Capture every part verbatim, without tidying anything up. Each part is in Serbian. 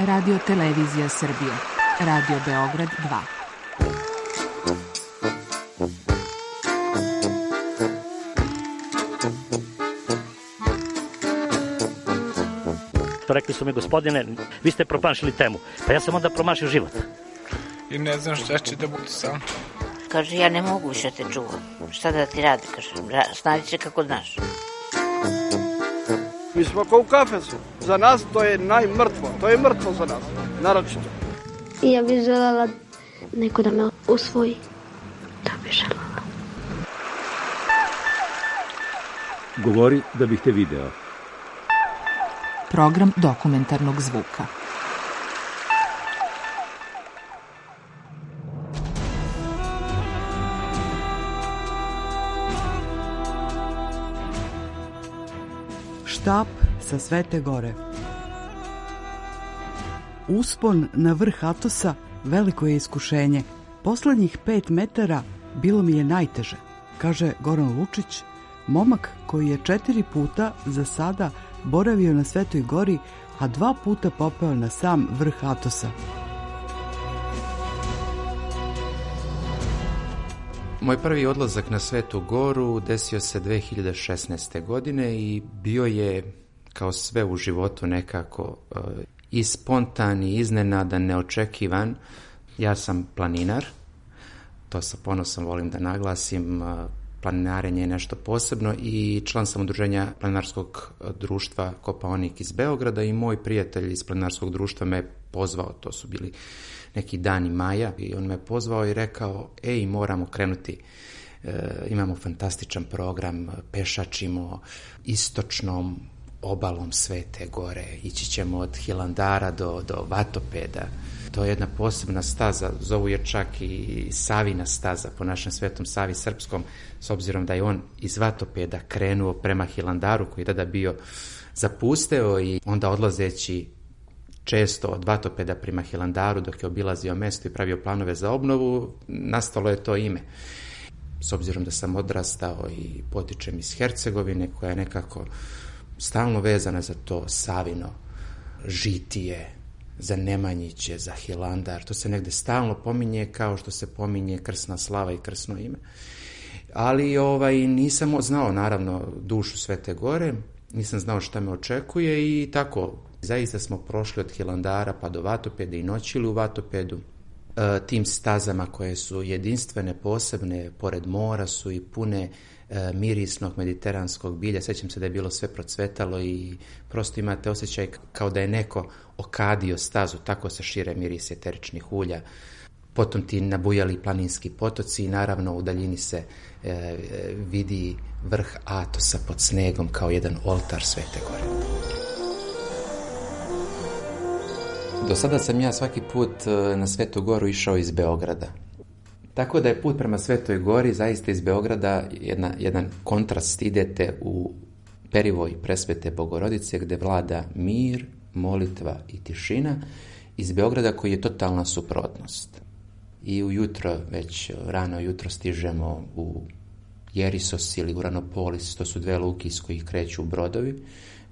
Radio Televizija Srbije. Radio Beograd dva. Rekli su mi, gospodine, vi ste promašili temu. Pa ja sam onda promašio život. I ne znam šta će da bude sam. Kaže, ja ne mogu više te čuvam. Šta da ti radi, kaže, snađi se kako znaš. Mi smo kao u kafesu. Za nas to je najmrtvo. To je mrtvo za nas, naročito. I ja bih željela neko da me usvoji. Da bih željela. Govori da bih te video. Program dokumentarnog zvuka. Štap sa Svete Gore. Uspon na vrh Atosa veliko je iskušenje. Poslednjih pet metara bilo mi je najteže, kaže Goran Lučić, momak koji je četiri puta za sada boravio na Svetoj Gori, a dva puta popeo na sam vrh Atosa. Moj prvi odlazak na Svetu Goru desio se dve hiljade šesnaeste. godine i bio je, kao sve u životu, nekako i spontan, i iznenadan, neočekivan. Ja sam planinar, to sa ponosom volim da naglasim. Planinarenje je nešto posebno i član sam udruženja planinarskog društva Kopaonik iz Beograda i moj prijatelj iz planinarskog društva me pozvao, to su bili neki dani maja, i on me pozvao i rekao, ej, moramo krenuti, e, imamo fantastičan program, pešačimo istočnom obalom Svete Gore, ići ćemo od Hilandara do, do Vatopeda. To je jedna posebna staza, zovu je čak i Savina staza po našem Svetom Savi Srpskom, s obzirom da je on iz Vatopeda krenuo prema Hilandaru, koji je tada bio zapusteo, i onda odlazeći često od Vatopeda prema Hilandaru, dok je obilazio mesto i pravio planove za obnovu, nastalo je to ime. S obzirom da sam odrastao i potičem iz Hercegovine, koja je nekako stalno vezana za to Savino žitije, za Nemanjiće, za Hilandar, to se negde stalno pominje, kao što se pominje krsna slava i krsno ime. Ali ovaj, nisam znao, naravno, dušu Svete Gore, nisam znao šta me očekuje i tako, zaista smo prošli od Hilandara pa do Vatopeda i noćili u Vatopedu. E, tim stazama koje su jedinstvene, posebne, pored mora su i pune e, mirisnog mediteranskog bilja. Sećam se da je bilo sve procvetalo i prosto imate osjećaj kao da je neko okadio stazu, tako se šire miris eteričnih ulja. Potom ti nabujali planinski potoci i naravno u daljini se e, vidi vrh Atosa pod snegom kao jedan oltar Svete Gore. Do sada sam ja svaki put na Svetu Goru išao iz Beograda. Tako da je put prema Svetoj Gori zaista iz Beograda jedna, jedan kontrast. Idete u perivoj Presvete Bogorodice gde vlada mir, molitva i tišina, iz Beograda koji je totalna suprotnost. I ujutro, već rano jutro, stižemo u Jerisos ili Uranopolis, to su dve luke iz kojih kreću brodovi.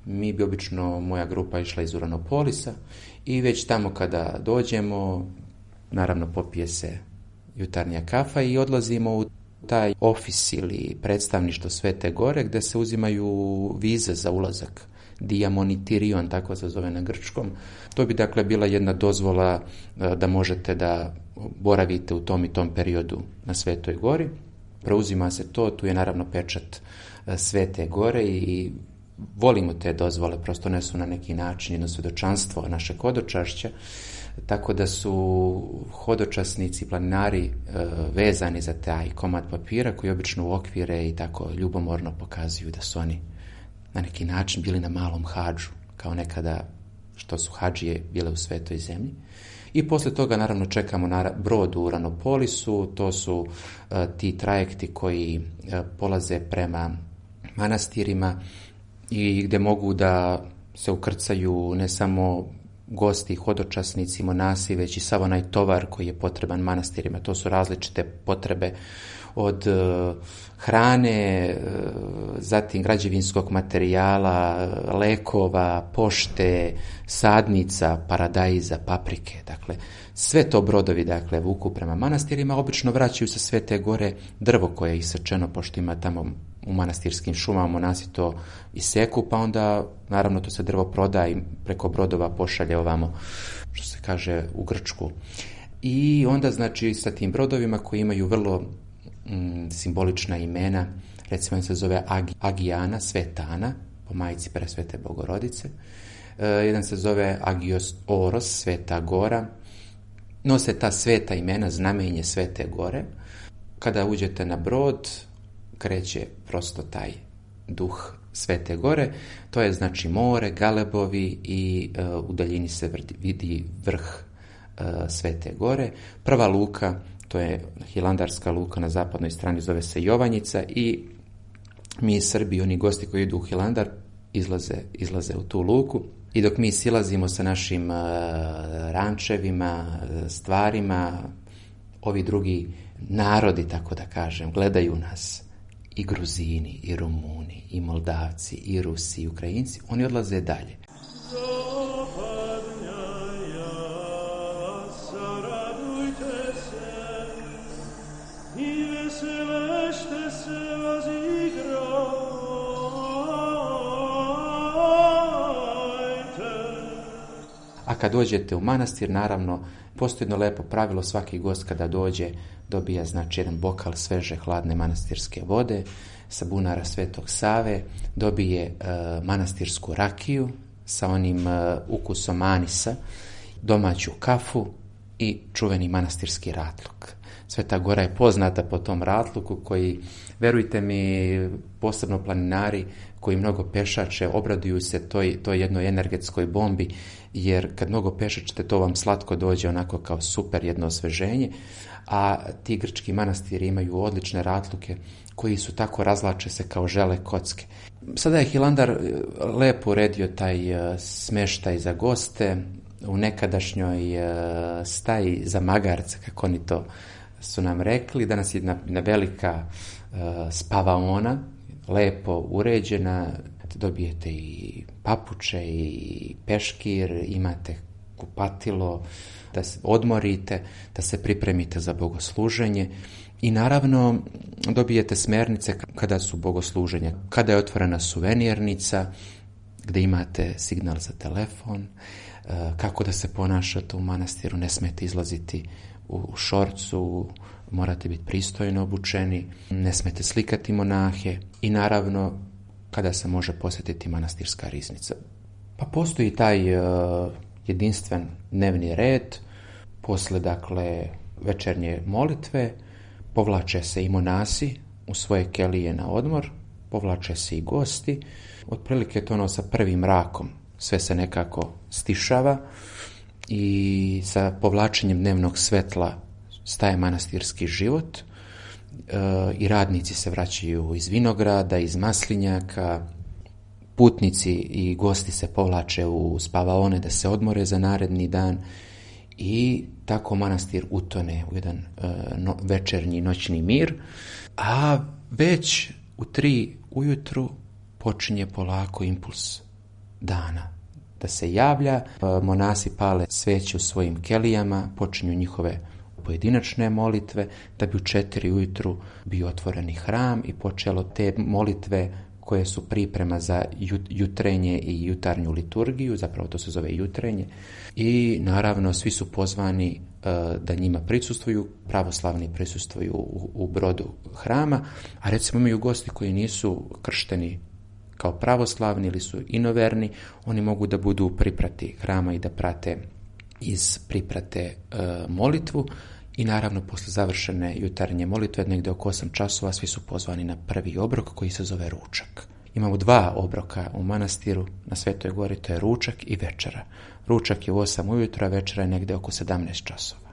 Mi bi obično, moja grupa išla iz Uranopolisa i već tamo kada dođemo, naravno popije se jutarnja kafa i odlazimo u taj ofis ili predstavništvo Svete Gore gde se uzimaju vize za ulazak. Diamonitirion, tako se zove na grčkom. To bi dakle bila jedna dozvola da možete da boravite u tom i tom periodu na Svetoj Gori. Preuzima se to, tu je naravno pečat Svete Gore i volimo te dozvole, prosto ne su na neki način jedno svedočanstvo našeg hodočašća, tako da su hodočasnici, planinari e, vezani za taj komad papira koji obično u okvire i tako ljubomorno pokazuju da su oni na neki način bili na malom hadžu, kao nekada što su hadžije bile u Svetoj zemlji. I posle toga naravno čekamo na brod u Uranopolisu, to su e, ti trajekti koji e, polaze prema manastirima i gde mogu da se ukrcaju ne samo gosti, hodočasnici, monasi, već i sav onaj tovar koji je potreban manastirima. To su različite potrebe od uh, hrane, uh, zatim građevinskog materijala, lekova, pošte, sadnica, paradajza, paprike. Dakle, sve to brodovi dakle, vuku prema manastirima, obično vraćaju sa Svete Gore drvo koje je isečeno, pošto ima tamo u manastirskim šumama, monasi to iseku, pa onda naravno to se drvo proda i preko brodova pošalje ovamo, što se kaže, u Grčku. I onda znači sa tim brodovima koji imaju vrlo mm, simbolična imena, recimo on se zove Ag- Agijana, Svetana, po majici Presvete Bogorodice, e, jedan se zove Agios Oros, Sveta Gora, nose ta sveta imena, znamenje Svete Gore. Kada uđete na brod, kreće prosto taj duh Svete Gore, to je znači more, galebovi i e, u daljini se vrdi, vidi vrh e, Svete Gore. Prva luka, to je hilandarska luka na zapadnoj strani, zove se Jovanjica i mi iz Srbije, oni gosti koji idu u Hilandar, izlaze, izlaze u tu luku. I dok mi silazimo sa našim uh, rančevima, stvarima, ovi drugi narodi, tako da kažem, gledaju nas, i Gruzini, i Rumuni, i Moldavci, i Rusi, i Ukrajinci, oni odlaze dalje. A kad dođete u manastir, naravno, postoji jedno lepo pravilo, svaki gost kada dođe dobija znači jedan bokal sveže hladne manastirske vode sa bunara Svetog Save, dobije e, manastirsku rakiju sa onim e, ukusom anisa, domaću kafu i čuveni manastirski ratluk. Sveta Gora je poznata po tom ratluku koji, verujte mi, posebno planinari koji mnogo pešače, obraduju se toj, toj jednoj energetskoj bombi, jer kad mnogo pešačete, to vam slatko dođe onako kao super jedno osveženje, a ti grčki manastiri imaju odlične ratluke koji su tako, razlače se kao žele kocke. Sada je Hilandar lepo uredio taj smeštaj za goste u nekadašnjoj staji za magarce, kako oni to su nam rekli. Danas je jedna, jedna velika uh, spavaona, lepo uređena, dobijete i papuče i peškir, imate kupatilo, da se odmorite, da se pripremite za bogosluženje i naravno dobijete smernice kada su bogosluženja, kada je otvorena suvenirnica, gde imate signal za telefon, uh, kako da se ponašate u manastiru, ne smete izlaziti u šorcu, morate biti pristojno obučeni, ne smete slikati monahe i naravno kada se može posjetiti manastirska riznica. Pa postoji taj uh, jedinstven dnevni red, posle dakle večernje molitve, povlače se i monasi u svoje kelije na odmor, povlače se i gosti, otprilike to ono sa prvim mrakom, sve se nekako stišava, i sa povlačenjem dnevnog svetla staje manastirski život e, i radnici se vraćaju iz vinograda, iz maslinjaka, putnici i gosti se povlače u spavaone da se odmore za naredni dan i tako manastir utone u jedan e, no, večernji noćni mir, a već u tri ujutru počinje polako impuls dana da se javlja, monasi pale sveće u svojim kelijama, počinju njihove pojedinačne molitve, da bi u četiri ujutru bio otvoreni hram i počelo te molitve koje su priprema za jutrenje i jutarnju liturgiju, zapravo to se zove jutrenje, i naravno svi su pozvani da njima prisustvuju, pravoslavni prisustvuju u, u brodu hrama, a recimo imaju gosti koji nisu kršteni kao pravoslavni ili su inoverni, oni mogu da budu u priprati hrama i da prate iz priprate e, molitvu i naravno posle završene jutarnje molitve negde oko osam časova svi su pozvani na prvi obrok koji se zove ručak. Imamo dva obroka u manastiru na Svetoj Gori, to je ručak i večera. Ručak je u osam ujutro, a večera je negde oko sedamnaest časova.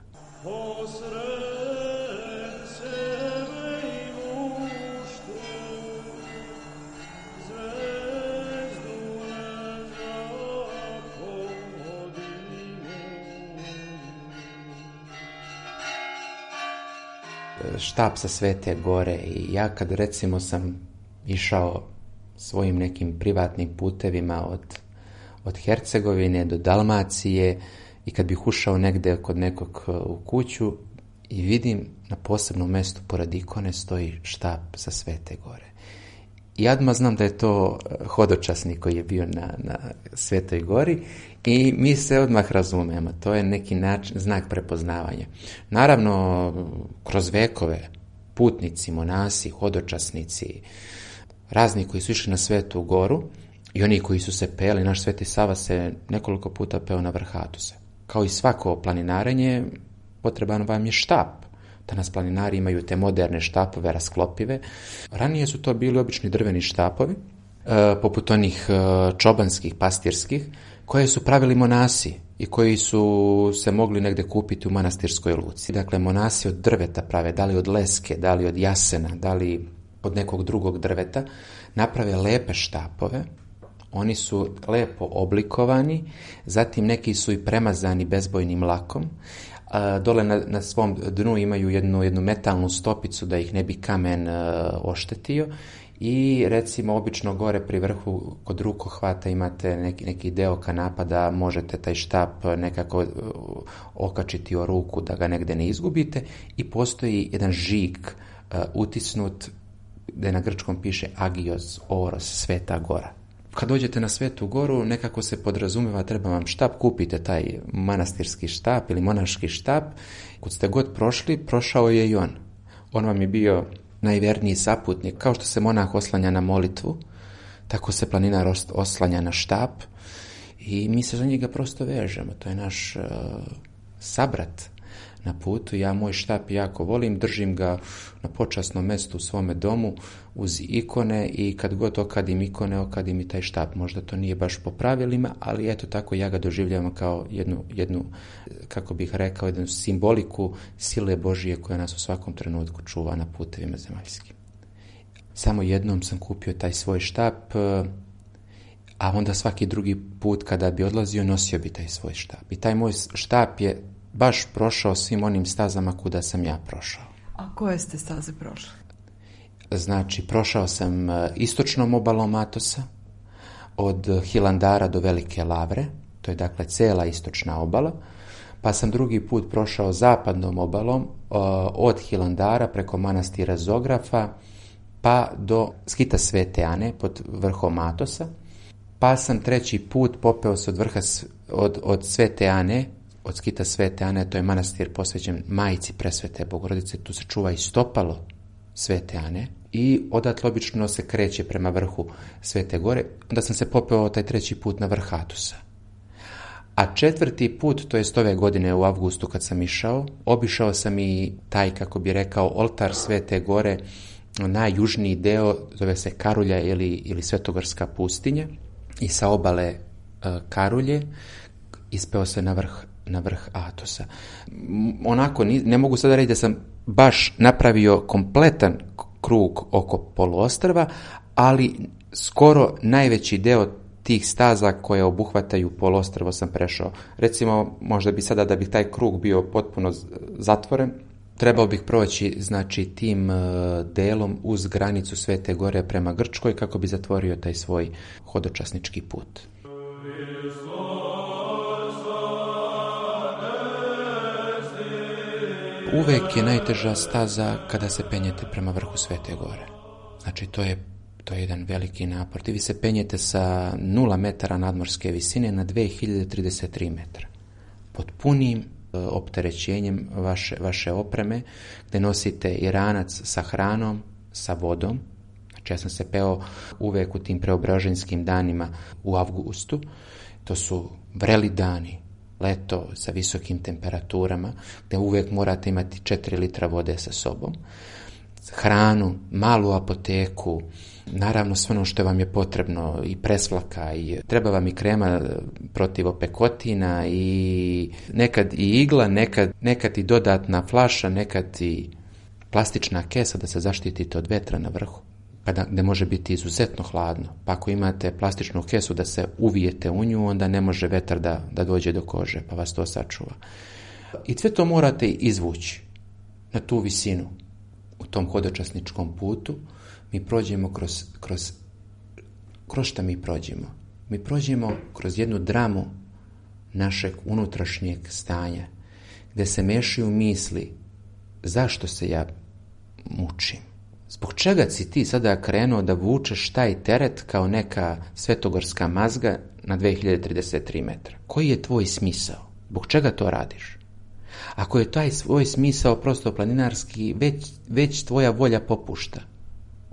štap sa Svete Gore i ja kad recimo sam išao svojim nekim privatnim putevima od, od Hercegovine do Dalmacije i kad bih ušao negde kod nekog u kuću i vidim na posebnom mjestu pored ikone stoji štap sa Svete Gore. I odmah znam da je to hodočasnik koji je bio na, na Svetoj Gori i mi se odmah razumemo. To je neki način, znak prepoznavanja. Naravno, kroz vekove putnici, monasi, hodočasnici, razni koji su išli na Svetu Goru i oni koji su se peli, naš Sveti Sava se nekoliko puta peo na vrh Atosa. Kao i svako planinarenje, potreban vam je štap. Danas planinari imaju te moderne štapove, rasklopive. Ranije su to bili obični drveni štapovi, e, poput onih e, čobanskih, pastirskih, koje su pravili monasi i koji su se mogli negde kupiti u manastirskoj luci. Dakle, monasi od drveta prave, da li od leske, da li od jasena, da li od nekog drugog drveta, naprave lepe štapove. Oni su lepo oblikovani, zatim neki su i premazani bezbojnim lakom. A, dole na, na svom dnu imaju jednu, jednu metalnu stopicu da ih ne bi kamen a, oštetio i recimo obično gore pri vrhu kod rukohvata imate neki, neki deo kanapa da možete taj štap nekako okačiti o ruku da ga negde ne izgubite i postoji jedan žig a, utisnut da na grčkom piše Agios Oros, Sveta Gora. Kad dođete na Svetu Goru, nekako se podrazumeva treba vam štap, kupite taj manastirski štap ili monaški štap. Kad ste god prošli, prošao je i on. On vam je bio najvjerniji saputnik. Kao što se monah oslanja na molitvu, tako se planinar oslanja na štap i mi se za njega prosto vežemo. To je naš uh, sabrat na putu. Ja moj štap jako volim, držim ga na počasnom mjestu u svome domu uz ikone i kad god okadim ikone, okadim i taj štap. Možda to nije baš po pravilima, ali eto tako ja ga doživljavam kao jednu, jednu kako bih rekao, jednu simboliku sile Božije koja nas u svakom trenutku čuva na putevima zemaljskim. Samo jednom sam kupio taj svoj štap, a onda svaki drugi put kada bi odlazio nosio bi taj svoj štap. I taj moj štap je baš prošao svim onim stazama kuda sam ja prošao. A koje ste staze prošli? Znači, prošao sam istočnom obalom Atosa, od Hilandara do Velike Lavre, to je dakle cela istočna obala, pa sam drugi put prošao zapadnom obalom, od Hilandara preko manastira Zografa, pa do skita Svete Ane pod vrhom Atosa, pa sam treći put popeo se od vrha od, od Svete Ane, od skita Svete Ane, to je manastir posvećen Majci Presvete Bogorodice, tu se čuva i stopalo Svete Ane i odatle obično se kreće prema vrhu Svete Gore. Onda sam se popeo taj treći put na vrh Atosa. A četvrti put, to jest ove godine u avgustu kad sam išao, obišao sam i taj, kako bi rekao, oltar Svete Gore, najjužniji deo, zove se Karulja ili, ili Svetogorska pustinja, i sa obale uh, Karulje ispeo se na vrh na vrh Atosa. Onako, ne mogu sada reći da sam baš napravio kompletan krug oko poluostrva, ali skoro najveći deo tih staza koje obuhvataju poluostrvo sam prešao. Recimo, možda bi sada da bi taj krug bio potpuno zatvoren, trebao bih proći, znači, tim delom uz granicu Svete Gore prema Grčkoj kako bi zatvorio taj svoj hodočasnički put. Uvek je najteža staza kada se penjete prema vrhu Svete Gore. Znači, to je, to je jedan veliki napor. Vi se penjete sa nula metara nadmorske visine na dve hiljade trideset tri metra. Pod punim e, opterećenjem vaše, vaše opreme, gde nosite i ranac sa hranom, sa vodom. Znači, ja sam se peo uvek u tim preobraženjskim danima u avgustu. To su vreli dani, leto sa visokim temperaturama, gdje uvijek morate imati četiri litra vode sa sobom, hranu, malu apoteku, naravno sve ono što vam je potrebno, i presvlaka, i treba vam i krema protiv opekotina, i nekad i igla, nekad, nekad i dodatna flaša, nekad i plastična kesa da se zaštitite od vetra na vrhu, kada, gde može biti izuzetno hladno. Pa ako imate plastičnu kesu da se uvijete u nju, onda ne može vetar da, da dođe do kože, pa vas to sačuva. I sve to morate izvući na tu visinu. u tom hodočasničkom putu, mi prođemo kroz, kroz, kroz šta mi prođemo? Mi prođemo kroz jednu dramu našeg unutrašnjeg stanja, gdje se mešaju misli zašto se ja mučim. Zbog čega si ti sada krenuo da vučeš taj teret kao neka svetogorska mazga na dve hiljade trideset tri metra? Koji je tvoj smisao? Zbog čega to radiš? Ako je taj svoj smisao prosto planinarski, već, već tvoja volja popušta.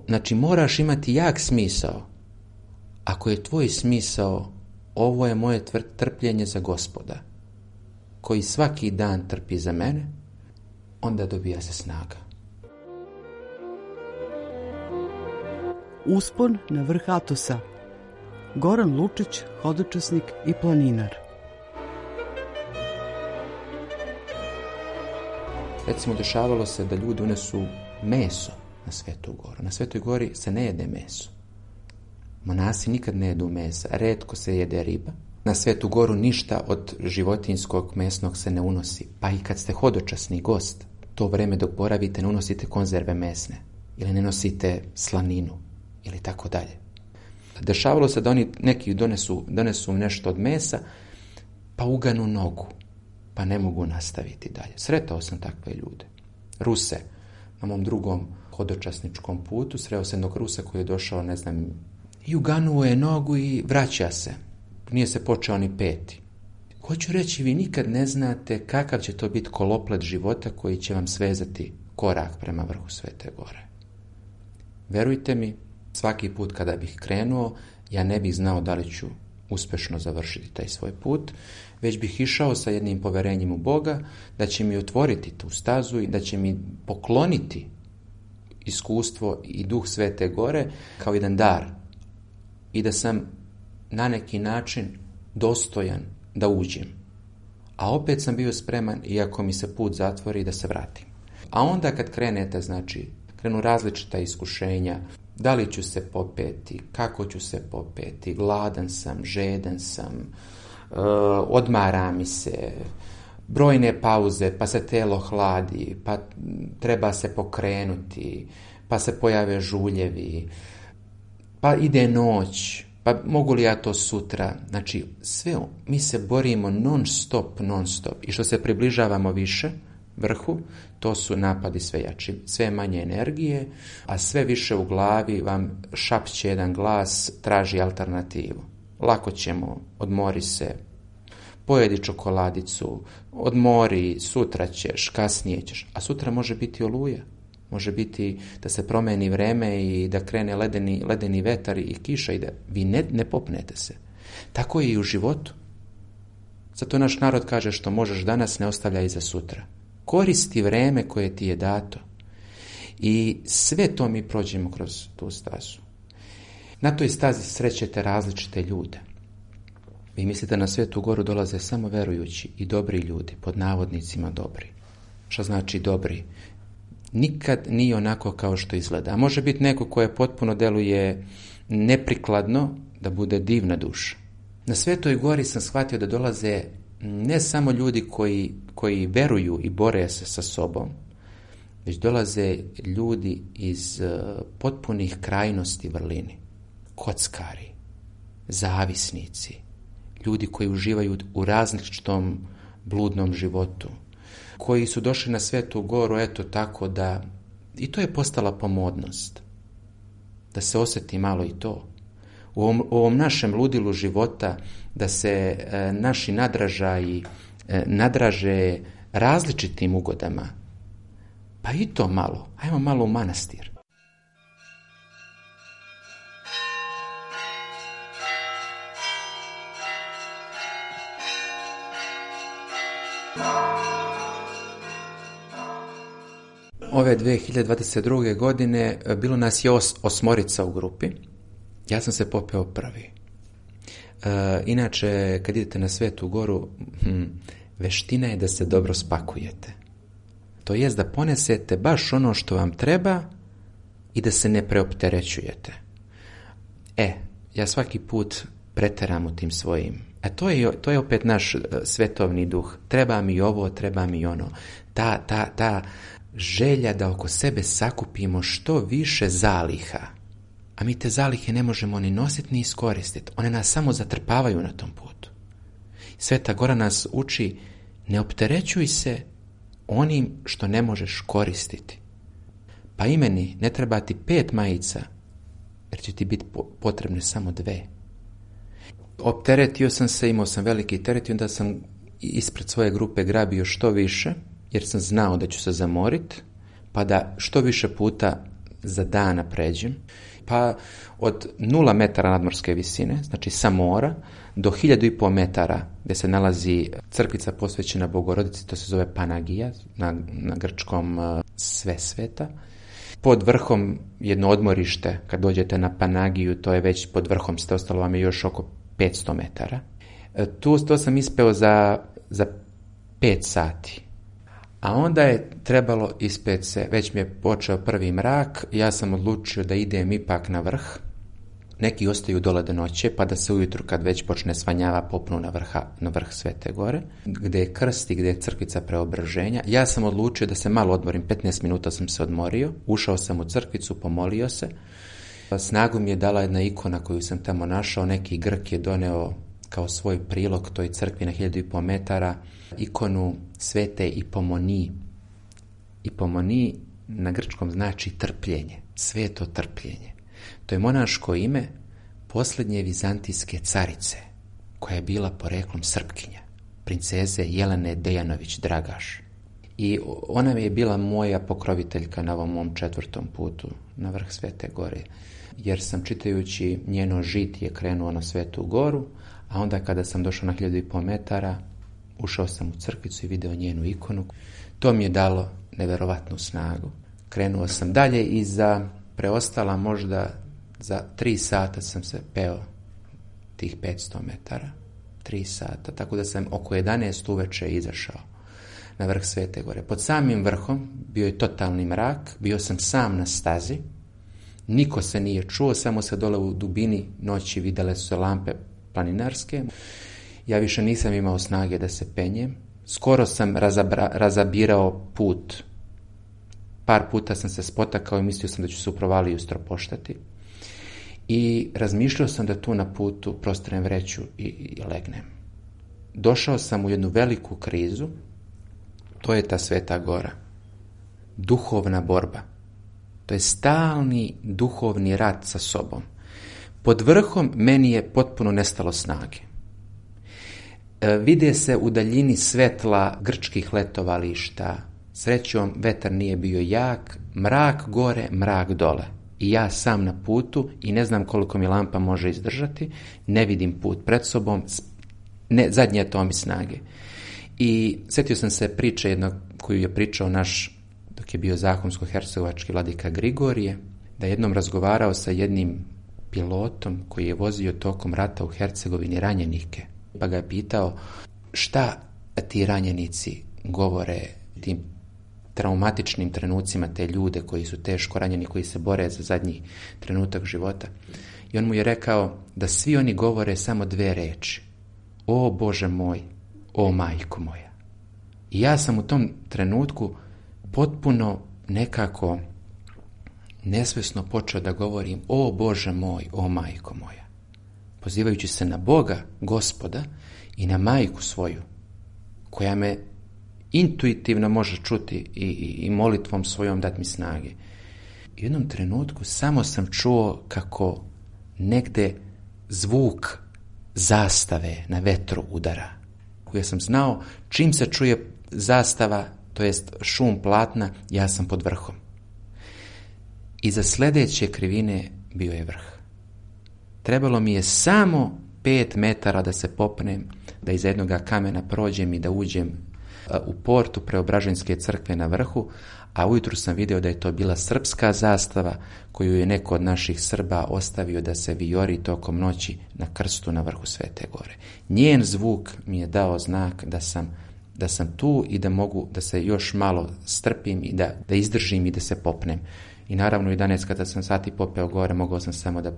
Znači moraš imati jak smisao. Ako je tvoj smisao, ovo je moje trpljenje za Gospoda, koji svaki dan trpi za mene, onda dobija se snaga. Uspon na vrh Atosa. Goran Lučić, hodočasnik i planinar. Recimo, dešavalo se da ljudi unesu meso na Svetu goru. Na Svetoj gori se ne jede meso. Monasi nikad ne jedu mesa, retko se jede riba. Na Svetu goru ništa od životinjskog mesnog se ne unosi. Pa i kad ste hodočasni gost, to vreme dok boravite ne unosite konzerve mesne ili ne nosite slaninu ili tako dalje. Dešavalo se da oni neki donesu, donesu nešto od mesa, pa uganu nogu, pa ne mogu nastaviti dalje. Sretao sam takve ljude. Ruse, na mom drugom hodočasničkom putu, sreo sam jednog Rusa koji je došao, ne znam, i uganuo je nogu i vraća se. Nije se počeo ni peti. Hoću reći, vi nikad ne znate kakav će to biti koloplet života koji će vam svezati korak prema vrhu Svete gore. Verujte mi, svaki put kada bih krenuo, ja ne bih znao da li ću uspešno završiti taj svoj put, već bih išao sa jednim poverenjem u Boga, da će mi otvoriti tu stazu i da će mi pokloniti iskustvo i duh Svete gore kao jedan dar i da sam na neki način dostojan da uđem. A opet sam bio spreman, iako mi se put zatvori, da se vratim. A onda kad krenete, znači, krenu različita iskušenja, da li ću se popeti, kako ću se popeti, gladan sam, žedan sam, e, odmara mi se, brojne pauze, pa se telo hladi, pa treba se pokrenuti, pa se pojave žuljevi, pa ide noć, pa mogu li ja to sutra? Znači, sve, mi se borimo non stop, non stop. I što se približavamo više vrhu, to su napadi sve jači, sve manje energije, a sve više u glavi vam šapće jedan glas, traži alternativu. Lako ćemo, odmori se, pojedi čokoladicu, odmori, sutra ćeš, kasnije ćeš, a sutra može biti oluja. Može biti da se promeni vreme i da krene ledeni, ledeni vetar i kiša i da vi ne, ne popnete se. Tako je i u životu. Zato naš narod kaže što možeš danas ne ostavlja i za sutra. Koristi vreme koje ti je dato. I sve to mi prođemo kroz tu stazu. Na toj stazi srećete različite ljude. Vi mislite na Svetu goru dolaze samo verujući i dobri ljudi, pod navodnicima dobri. Šta znači dobri? Nikad nije onako kao što izgleda. A može biti neko koje potpuno deluje neprikladno da bude divna duša. Na Svetoj gori sam shvatio da dolaze ne samo ljudi koji, koji veruju i bore se sa sobom, već dolaze ljudi iz uh, potpunih krajnosti vrlini. Kockari, zavisnici, ljudi koji uživaju u različitom bludnom životu, koji su došli na Svetu goru, eto tako da, i to je postala pomodnost, da se osjeti malo i to. U ovom, u ovom našem ludilu života, da se e, naši nadražaji e, nadraže različitim ugodama, pa i to malo, ajmo malo u manastir. Ove dve hiljade dvadeset druge. godine bilo nas je os, osmorica u grupi. Ja sam se popeo prvi. E, inače, kad idete na Svetu goru, hm, veština je da se dobro spakujete. To jest da ponesete baš ono što vam treba i da se ne preopterećujete. E, ja svaki put preteram u tim svojim. A to je, to je opet naš svetovni duh. Treba mi ovo, treba mi ono. Ta, ta, ta želja da oko sebe sakupimo što više zaliha, a mi te zalihe ne možemo ni nositi ni iskoristiti. One nas samo zatrpavaju na tom putu. Sveta Gora nas uči, ne opterećuj se onim što ne možeš koristiti. Pa i meni ne treba ti pet majica, jer će ti biti potrebne samo dve. Opteretio sam se, imao sam veliki teret i onda sam ispred svoje grupe grabio što više, jer sam znao da ću se zamoriti, pa da što više puta za dana pređem. Pa od nula metara nadmorske visine, znači sa mora, do hiljadu i pol metara gdje se nalazi crkvica posvećena Bogorodici, to se zove Panagija, na, na grčkom uh, sve sveta. Pod vrhom jedno odmorište, kad dođete na Panagiju, to je već pod vrhom, ste ostalo vam je još oko petsto metara. E, tu to sam ispeo za, za pet sati. A onda je trebalo ispet se, već mi je počeo prvi mrak, ja sam odlučio da idem ipak na vrh. Neki ostaju dole do noće, pa da se ujutru kad već počne svanjava popnu na, vrha, na vrh Svete Gore, gdje je krst i gdje je crkvica Preobraženja. Ja sam odlučio da se malo odmorim, petnaest minuta sam se odmorio, ušao sam u crkvicu, pomolio se. Snagu mi je dala jedna ikona koju sam tamo našao, neki Grk je doneo kao svoj prilog toj crkvi na hiljadu i pol metara, ikonu Svete Ipomoniji. Ipomoniji na grčkom znači trpljenje, sveto trpljenje. To je monaško ime posljednje vizantijske carice, koja je bila poreklom Srpkinja, princeze Jelene Dejanović Dragaš. I ona je bila moja pokroviteljka na ovom mom četvrtom putu na vrh Svete Gore, jer sam čitajući njeno žitije krenuo na Svetu Goru, a onda kada sam došao na hiljadu i pol metara, ušao sam u crkvicu i video njenu ikonu. To mi je dalo neverovatnu snagu. Krenuo sam dalje i za preostala možda za tri sata sam se peo tih petsto metara. Tri sata, tako da sam oko jedanaest uveče izašao na vrh Svete Gore. Pod samim vrhom bio je totalni mrak, bio sam sam na stazi, niko se nije čuo, samo se dole u dubini noći vidjele su se lampe planinarske. Ja više nisam imao snage da se penjem. Skoro sam razabra, razabirao put. Par puta sam se spotakao i mislio sam da ću se u provaliju stropoštati. I razmišljao sam da tu na putu prostrem vreću i, i legnem. Došao sam u jednu veliku krizu. To je ta Sveta Gora. Duhovna borba. To je stalni duhovni rat sa sobom. Pod vrhom meni je potpuno nestalo snage. E, vide se u daljini svetla grčkih letovališta. Srećom, vetar nije bio jak, mrak gore, mrak dole. I ja sam na putu i ne znam koliko mi lampa može izdržati, ne vidim put pred sobom, ne, zadnje je to mi snage. I sjetio sam se priče jednog koju je pričao naš, dok je bio zahumsko-hercegovački vladika Grigorije, da je jednom razgovarao sa jednim pilotom koji je vozio tokom rata u Hercegovini ranjenike. Pa ga je pitao šta ti ranjenici govore tim traumatičnim trenucima, te ljude koji su teško ranjeni, koji se bore za zadnji trenutak života. I on mu je rekao da svi oni govore samo dve reči. O Bože moj, o majko moja. I ja sam u tom trenutku potpuno nekako nesvjesno počeo da govorim o Bože moj, o majko moja. Pozivajući se na Boga, Gospoda i na majku svoju, koja me intuitivno može čuti i, i, i molitvom svojom dati mi snage. U jednom trenutku samo sam čuo kako negde zvuk zastave na vetru udara. Ja sam znao čim se čuje zastava, to jest šum platna, ja sam pod vrhom. Iza sljedeće krivine bio je vrh. Trebalo mi je samo pet metara da se popnem, da iza jednog kamena prođem i da uđem u portu Preobraženjske crkve na vrhu, a ujutru sam vidio da je to bila srpska zastava koju je neko od naših Srba ostavio da se vijori tokom noći na krstu na vrhu Svete Gore. Njen zvuk mi je dao znak da sam, da sam tu i da mogu da se još malo strpim i da, da izdržim i da se popnem. I naravno i danas kada sam sati popeo gore, mogao sam samo da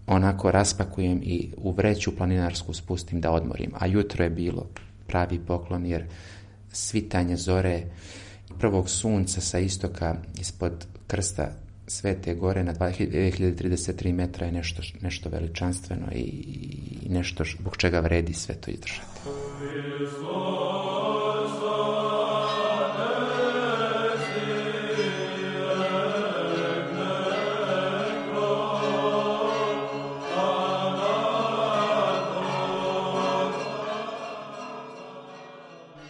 onako raspakujem i u vreću planinarsku spustim da odmorim. A jutro je bilo pravi poklon jer svitanje zore prvog sunca sa istoka ispod krsta Svete Gore na dve hiljade trideset tri metra je nešto, nešto veličanstveno i, i nešto zbog čega vredi sve to izdržati.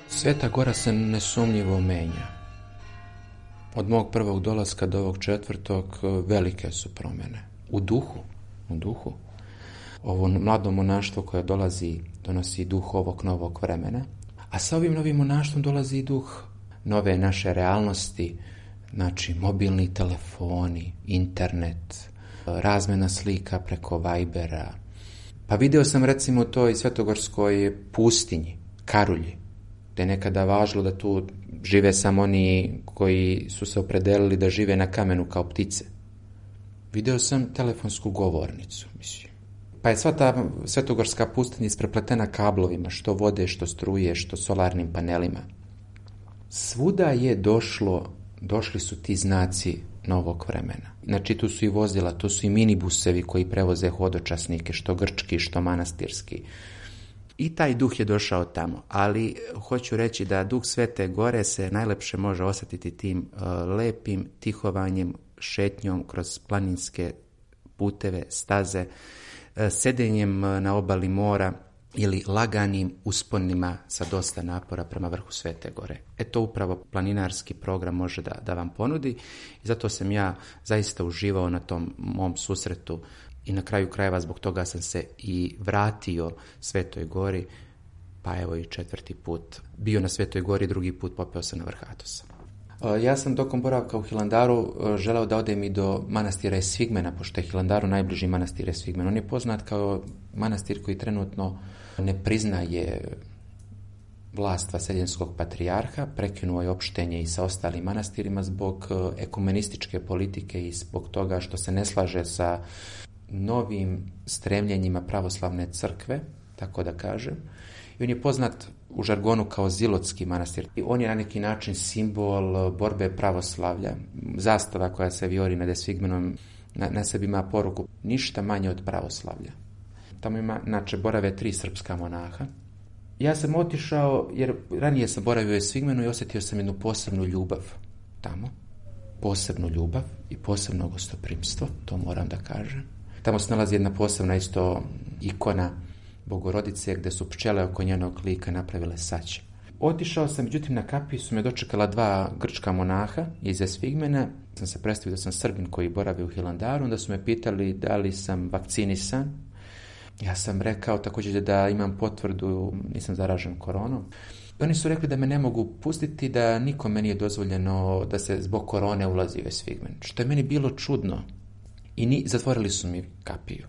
Sveta Gora se nesumnjivo menja. Od mog prvog dolaska do ovog četvrtog velike su promjene. U duhu, u duhu. Ovo mlado monaštvo koje dolazi, donosi duh ovog novog vremena. A sa ovim novim monaštvom dolazi duh nove naše realnosti, znači mobilni telefoni, internet, razmjena slika preko Vibera. Pa video sam recimo u toj svetogorskoj pustinji, Karulji, gdje je nekada važilo da tu žive samo oni koji su se opredelili da žive na kamenu kao ptice. Video sam telefonsku govornicu, mislim. Pa je sva ta svetogorska pustinja isprepletena kablovima, što vode, što struje, što solarnim panelima. Svuda je došlo, došli su ti znaci novog vremena. Znači tu su i vozila, tu su i minibusevi koji prevoze hodočasnike, što grčki, što manastirski. I taj duh je došao tamo, ali hoću reći da duh Svete Gore se najlepše može osjetiti tim uh, lepim tihovanjem, šetnjom kroz planinske puteve, staze, uh, sedenjem na obali mora ili laganim usponima sa dosta napora prema vrhu Svete Gore. E to upravo planinarski program može da, da vam ponudi i zato sam ja zaista uživao na tom mom susretu. I na kraju krajeva zbog toga sam se i vratio Svetoj Gori, pa evo i četvrti put. Bio na Svetoj Gori, drugi put popeo sam na vrh Atosa. Ja sam tokom boravka u Hilandaru želeo da odem i do manastira Esfigmena, pošto je Hilandaru najbliži manastir Esfigmen. On je poznat kao manastir koji trenutno ne priznaje vlast vaseljenskog patrijarha, prekinuo je opštenje i sa ostalim manastirima zbog ekumenističke politike i zbog toga što se ne slaže sa novim stremljenjima pravoslavne crkve, tako da kažem. I on je poznat u žargonu kao Zilotski manastir. I on je na neki način simbol borbe pravoslavlja. Zastava koja se vijori nad Esfigmenom na, na sebi ima poruku ništa manje od pravoslavlja. Tamo ima, znači, borave tri srpska monaha. Ja sam otišao, jer ranije sam boravio u Esfigmenu i osjetio sam jednu posebnu ljubav tamo. Posebnu ljubav i posebno gostoprimstvo, to moram da kažem. Tamo se nalazi jedna posebna isto ikona Bogorodice gdje su pčele oko njenog lika napravile saće. Otišao sam, međutim na kapiju su me dočekala dva grčka monaha iz Esfigmena. Sam se predstavio da sam Srbin koji boravi u Hilandaru, onda su me pitali da li sam vakcinisan. Ja sam rekao također da imam potvrdu, nisam zaražen koronom. Oni su rekli da me ne mogu pustiti, da nikome nije dozvoljeno da se zbog korone ulazi u Esfigmen, što je meni bilo čudno. I ni, zatvorili su mi kapiju.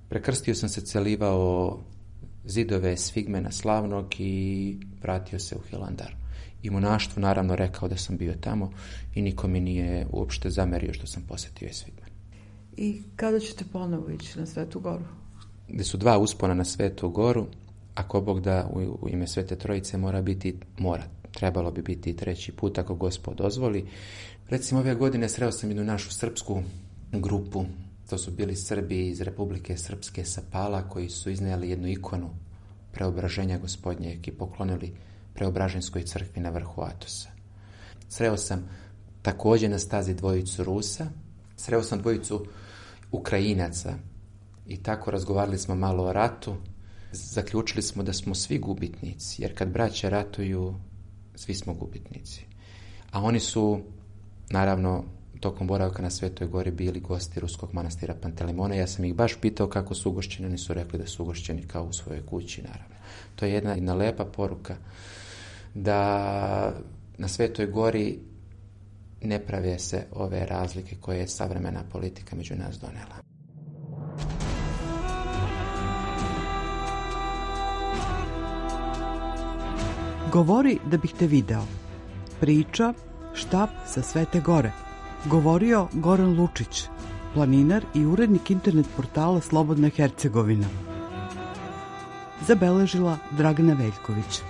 Prekrstio sam se, celivao zidove Esfigmena slavnog i vratio se u Hilandar. I monaštvu naravno rekao da sam bio tamo i niko mi nije uopšte zamerio što sam posjetio Esfigmen. I kada ćete ponovo ići na Svetu Goru? Gde su dva uspona na Svetu Goru, ako Bog da u, u ime Svete Trojice mora biti, mora, trebalo bi biti treći put ako Gospod dozvoli. Recimo ove godine sreo sam jednu našu srpsku grupu, to su bili Srbi iz Republike Srpske sa Pala koji su iznijeli jednu ikonu preobraženja Gospodnjeg i poklonili Preobraženskoj crkvi na vrhu Atosa. Sreo sam također na stazi dvojicu Rusa, sreo sam dvojicu Ukrajinaca i tako razgovarali smo malo o ratu. Zaključili smo da smo svi gubitnici, jer kad braća ratuju, svi smo gubitnici. A oni su, naravno, tokom boravka na Svetoj Gori bili gosti ruskog manastira Pantelimona. Ja sam ih baš pitao kako su ugošćeni, oni su rekli da su ugošćeni kao u svojoj kući, naravno. To je jedna, jedna lepa poruka da na Svetoj Gori ne prave se ove razlike koje je savremena politika među nas donela. Govori da bih te video. Priča Štab sa Svete Gore. Govorio Goran Lučić, planinar i urednik internet portala Slobodna Hercegovina. Zabeležila Dragana Veljković.